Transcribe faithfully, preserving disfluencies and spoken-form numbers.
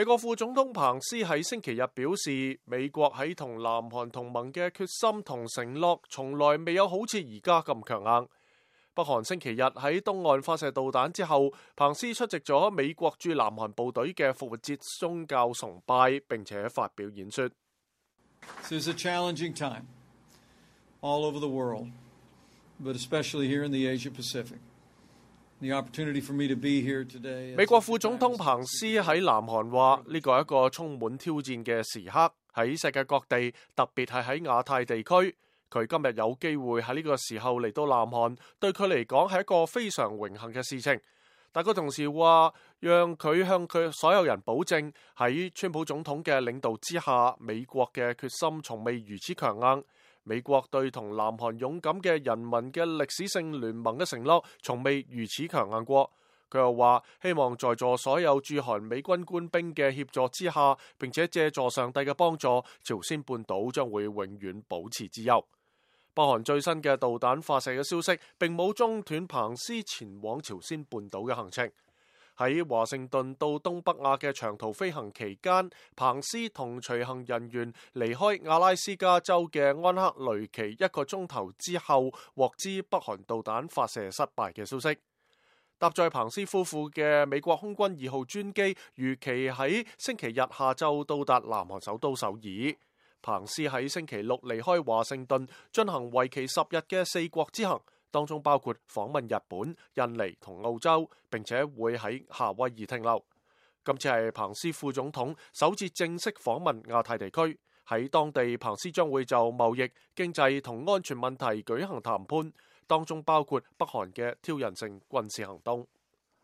美國副總統彭斯喺星期日表示，美國喺同南韓同盟嘅決心同承諾，從來未有好似而家咁強硬。北韓星期日喺東岸發射導彈之後，彭斯出席咗美國駐南韓部隊嘅復活節宗教崇拜，並且發表演說。This is a challenging time all over the world, but especially here in the Asia Pacific. The opportunity for me to be here today. 美國副總統彭斯喺南韓話：呢個係一個充滿挑戰嘅時刻，喺世界各地，特別係喺亞太地區。佢今日有機會喺呢個時候嚟到南韓，對佢嚟講係一個非常榮幸嘅事情。但佢同時話，讓佢向佢所有人保證，喺川普總統嘅領導之下，美國嘅決心從未如此強硬。美國對同南韓勇敢嘅人民嘅歷史性聯盟嘅承諾，從未如此強硬過。佢又話，希望在座所有駐韓美軍官兵嘅協助之下，並且借助上帝嘅幫助，朝鮮半島將會永遠保持自由。北韓最新嘅導彈發射嘅消息，並冇中斷彭斯前往朝鮮半島嘅行程。喺華盛頓到東北亞嘅長途飛行期間，彭斯同隨行人員離開阿拉斯加州嘅安克雷奇一個鐘頭之後，獲知北韓導彈發射失敗嘅消息。搭載彭斯夫婦嘅美國空軍二號專機預期喺星期日下晝到達南韓首都首爾。彭斯喺星期六離開華盛頓，進行為期十日嘅四國之行。當中包括訪問日本、印尼同澳洲，並且會喺夏威夷停留。今次係彭斯副總統首次正式訪問亞太地區，喺當地彭斯將會就貿易、經濟同安全問題舉行談判，當中包括北韓嘅挑釁性軍事行動。